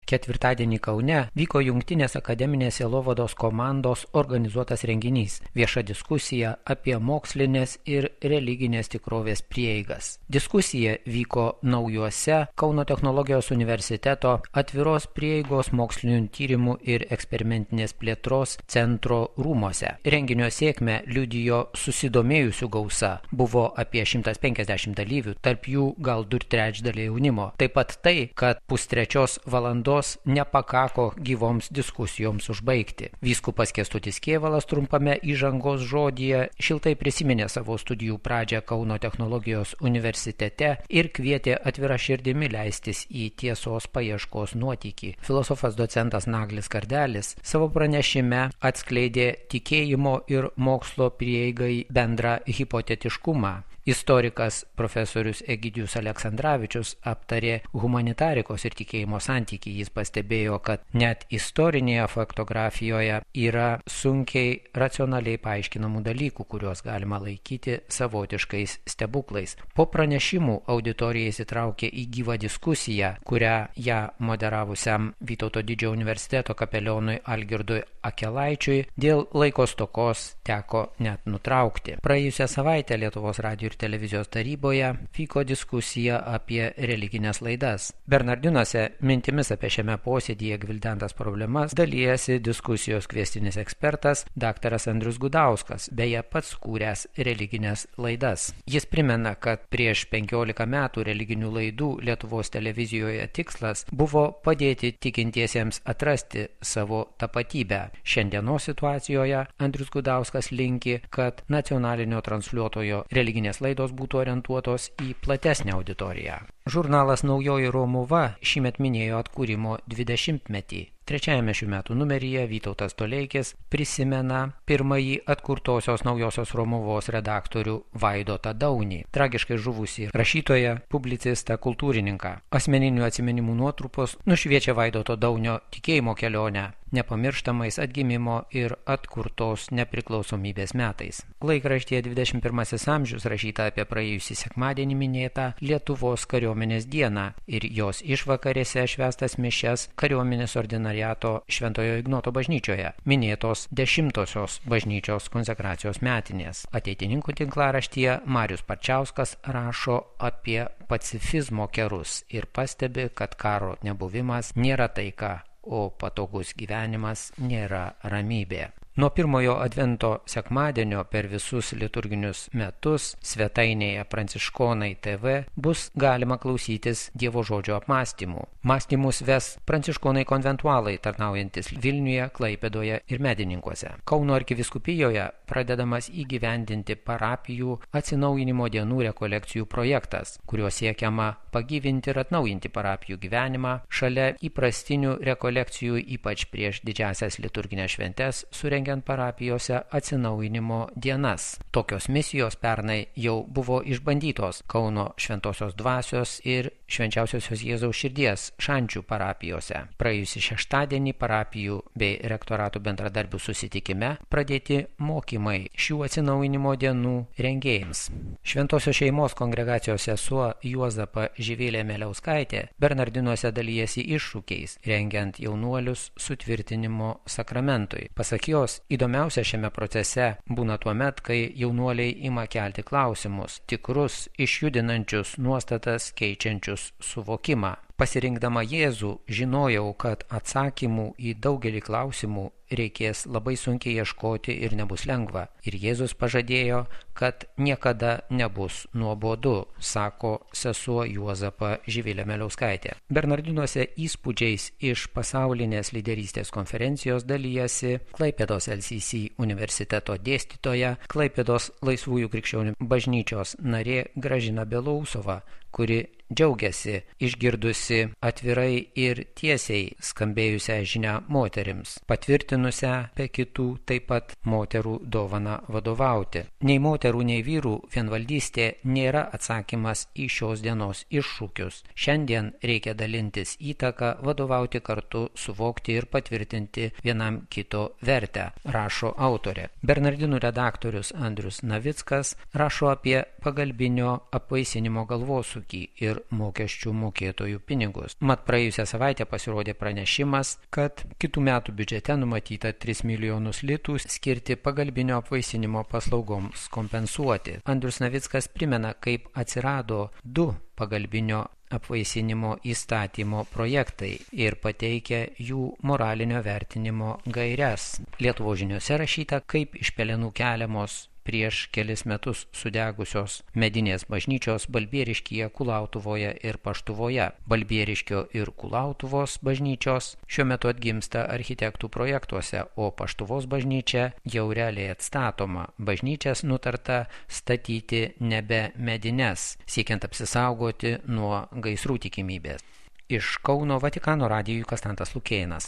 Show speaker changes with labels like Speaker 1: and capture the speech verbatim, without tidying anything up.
Speaker 1: Ketvirtadienį Kaune vyko Jungtinės akademinės sielovados komandos organizuotas renginys – vieša diskusija apie mokslinės ir religinės tikrovės prieigas. Diskusija vyko naujuose Kauno technologijos universiteto atviros prieigos mokslinių tyrimų ir eksperimentinės plėtros centro rūmose. Renginio sėkmę liudijo susidomėjusių gausa. Buvo apie šimtas penkiasdešimt dalyvių, tarp jų gal du trečdaliai jaunimo. Taip pat tai, kad pustrečios valandos nepakako gyvoms diskusijoms užbaigti. Vyskupas Kęstutis Kėvalas trumpame įžangos žodyje šiltai prisiminė savo studijų pradžią Kauno technologijos universitete ir kvietė atvira širdimi leistis į tiesos paieškos nuotykį. Filosofas docentas Naglis Kardelis savo pranešime atskleidė tikėjimo ir mokslo prieigai bendrą hipotetiškumą. Istorikas profesorius Egidijus Aleksandravičius aptarė humanitarikos ir tikėjimo santykį. Jis pastebėjo, kad net istorinėje faktografijoje yra sunkiai racionaliai paaiškinamų dalykų, kuriuos galima laikyti savotiškais stebuklais. Po pranešimų auditorija įsitraukė į gyvą diskusiją, kurią ją moderavusiam Vytauto Didžiojo universiteto kapelionui Algirdui Akelaičiui dėl laiko stokos teko net nutraukti. Praėjusią savaitę Lietuvos radijo ir televizijos taryboje vyko diskusija apie religinės laidas. Bernardinuose mintimis apie šiame posėdyje gvildentas problemas dalijasi diskusijos kviestinis ekspertas daktaras Andrius Gudauskas, beje pats kūręs religinės laidas. Jis primena, kad prieš penkiolika metų religinių laidų Lietuvos televizijoje tikslas buvo padėti tikintiesiems atrasti savo tapatybę. Šiandienos situacijoje Andrius Gudauskas linki, kad nacionalinio transliuotojo religinės laidos būtų orientuotos į platesnę auditoriją. Žurnalas Naujoji Romuva šįmet minėjo atkūrimo dvidešimtmetį. Trečiajame šių metų numeryje Vytautas Toleikis prisimena pirmąjį atkurtosios Naujosios Romuvos redaktorių Vaidotą Daunį, tragiškai žuvusį rašytoją, publicistą, kultūrininką. Asmeninių atsiminimų nuotrupos nušviečia Vaidoto Daunio tikėjimo kelionę nepamirštamais atgimimo ir atkurtos nepriklausomybės metais. Laikraštyje dvidešimt pirmasis amžius rašyta apie praėjusį sekmadienį minėtą Lietuvos kariuomenės dieną ir jos išvakarėse švęstas mišias kariuomenės ordinariato Šventojo Ignoto bažnyčioje, minėtos dešimtosios bažnyčios konsekracijos metinės. Ateitininkų tinklaraštyje Marius Parčiauskas rašo apie pacifizmo kerus ir pastebi, kad karo nebuvimas nėra taika, o patogus gyvenimas nėra ramybė. Nuo pirmojo advento sekmadienio per visus liturginius metus svetainėje Pranciškonai T V bus galima klausytis Dievo žodžio apmąstymų. Mąstymus ves pranciškonai konventualai tarnaujantis Vilniuje, Klaipėdoje ir Medininkuose. Kauno arkivyskupijoje pradedamas įgyvendinti parapijų atsinaujinimo dienų rekolekcijų projektas, kuriuo siekiama pagyvinti ir atnaujinti parapijų gyvenimą šalia įprastinių rekolekcijų, ypač prieš didžiąsias liturginės šventes, surengiant parapijose atsinaujinimo dienas. Tokios misijos pernai jau buvo išbandytos Kauno Šventosios Dvasios ir Švenčiausiosios Jėzaus Širdies Šančių parapijose. Praėjusį šeštadienį parapijų bei rektoratų bendradarbių susitikime pradėti mokymai šių atsinaujinimo dienų rengėjams. Šventosios šeimos kongregacijos sesuo Juozapa Živilė Meliauskaitė Bernardinuose dalijasi iššūkiais, rengiant jaunuolius sutvirtinimo sakramentui. Pasak jos, įdomiausia šiame procese būna tuomet, kai jaunuoliai ima kelti klausimus, tikrus, išjudinančius nuostatas keičiančius suvokimą. Pasirinkdama Jėzų, žinojau, kad atsakymų į daugelį klausimų reikės labai sunkiai ieškoti ir nebus lengva. Ir Jėzus pažadėjo, kad niekada nebus nuobodu, sako sesuo Juozapa Živilė Meliauskaitė. Bernardinuose įspūdžiais iš pasaulinės lyderystės konferencijos dalijasi Klaipėdos L C C universiteto dėstytoja, Klaipėdos Laisvųjų krikščionių bažnyčios narė Gražina Belousova, kuri džiaugiasi išgirdusi atvirai ir tiesiai skambėjusią žinią moterims, patvirtinusią be kitų taip pat moterų dovaną vadovauti. Nei moterų, nei vyrų vienvaldystė nėra atsakymas į šios dienos iššūkius. Šiandien reikia dalintis įtaką, vadovauti kartu, suvokti ir patvirtinti vienam kito vertę, rašo autorė. Bernardinų redaktorius Andrius Navickas rašo apie pagalbinio apvaisinimo galvosūkį ir ir mokesčių mokėtojų pinigus. Mat praėjusią savaitę pasirodė pranešimas, kad kitų metų biudžete numatyta tris milijonus litų skirti pagalbinio apvaisinimo paslaugoms kompensuoti. Andrius Navickas primena, kaip atsirado du pagalbinio apvaisinimo įstatymo projektai ir pateikia jų moralinio vertinimo gaires. Lietuvos žiniose rašyta, kaip iš pelenų keliamos prieš kelis metus sudegusios medinės bažnyčios Balbieriškyje, Kulautuvoje ir Paštuvoje. Balbieriškio ir Kulautuvos bažnyčios šiuo metu atgimsta architektų projektuose, o Paštuvos bažnyčia jau realiai atstatoma. Bažnyčias nutarta statyti nebe medines, siekiant apsisaugoti nuo gaisrų tikimybės. Iš Kauno Vatikano radijui Konstantas Lukėnas.